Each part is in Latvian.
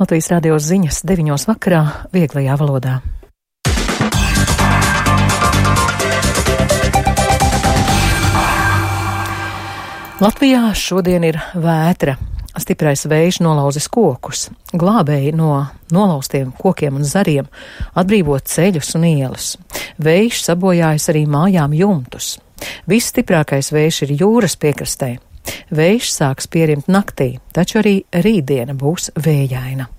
Latvijas radio ziņas 9 vakarā vieglajā valodā. Latvijā šodien ir vētra. Stiprais vējš nolauzis kokus. Glābēji no nolauztiem kokiem un zariem atbrīvo ceļus un ielas. Vējš sabojājas arī mājām jumtus. Visstiprākais vējš ir jūras piekrastē. Vējš sāks pierimt naktī, taču arī rītdiena būs vējaina.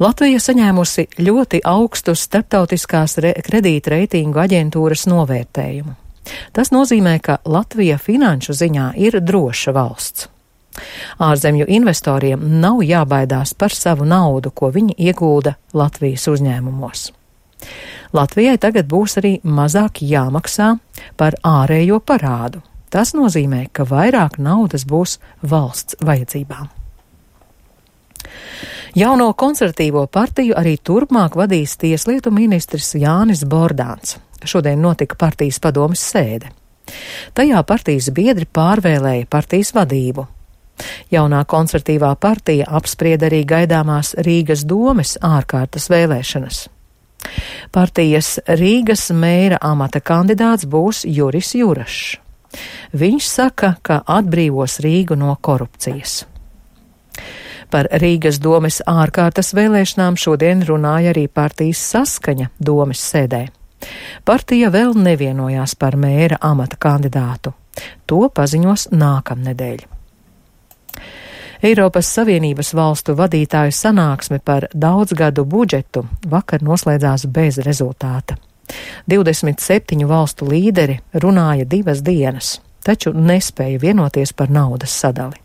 Latvija saņēmusi ļoti augstu starptautiskās kredītreitingu aģentūras novērtējumu. Tas nozīmē, ka Latvija finanšu ziņā ir droša valsts. Ārzemju investoriem nav jābaidās par savu naudu, ko viņi iegulda Latvijas uzņēmumos. Latvijai tagad būs arī mazāk jāmaksā par ārējo parādu. Tas nozīmē, ka vairāk naudas būs valsts vajadzībām. Jauno konservatīvo partiju arī turpmāk vadīs tieslietu ministrs Jānis Bordāns. Šodien notika partijas padomes sēde. Tajā partijas biedri pārvēlēja partijas vadību. Jaunā konservatīvā partija apsprieda arī gaidāmās Rīgas domes ārkārtas vēlēšanas. Partijas Rīgas mēra amata kandidāts būs Juris Jurašs. Viņš saka, ka atbrīvos Rīgu no korupcijas. Par Rīgas domes ārkārtas vēlēšanām šodien runāja arī partijas Saskaņa domes sēdē. Partija vēl nevienojās par mēra amata kandidātu. To paziņos nākamnedēļ. Eiropas Savienības valstu vadītāju sanāksme par daudzgadu budžetu vakar noslēdzās bez rezultāta. 27 valstu līderi runāja 2 dienas, taču nespēja vienoties par naudas sadali.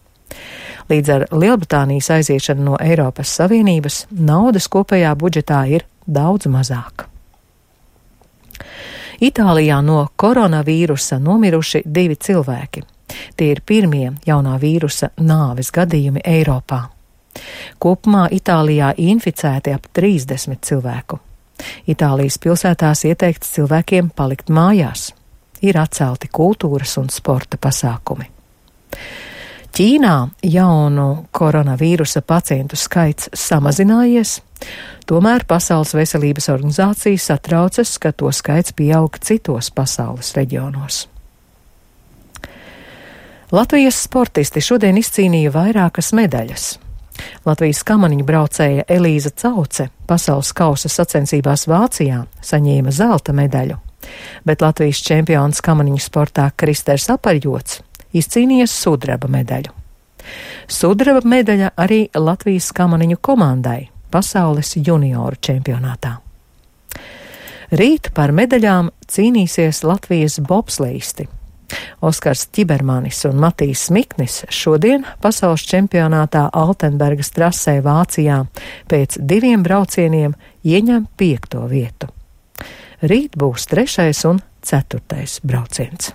Līdz ar Lielbritānijas aiziešanu no Eiropas Savienības naudas kopējā budžetā ir daudz mazāk. Itālijā no koronavīrusa nomiruši 2 cilvēki. Tie ir pirmie jaunā vīrusa nāves gadījumi Eiropā. Kopumā Itālijā inficēti ap 30 cilvēku. Itālijas pilsētās ieteikts cilvēkiem palikt mājās. Ir atcelti kultūras un sporta pasākumi. Ķīnā jaunu koronavīrusa pacientu skaits samazinājies, tomēr Pasaules veselības organizācija satraucas, ka to skaits pieaug citos pasaules reģionos. Latvijas sportisti šodien izcīnīja vairākas medaļas. Latvijas kamaniņu braucēja Elīza Cauce pasaules kausa sacensībās Vācijā saņēma zelta medaļu, bet Latvijas čempions kamaniņu sportā Kristers Apaļjots izcīnīja sudraba medaļu. Sudraba medaļa arī Latvijas kamaniņu komandai pasaules junioru čempionātā. Rīt par medaļām cīnīsies Latvijas bobsleisti. Oskars Ķibermanis un Matīs Smiknis šodien pasaules čempionātā Altenbergas trasē Vācijā pēc 2 braucieniem ieņem 5. vietu. Rīt būs 3. un 4. brauciens.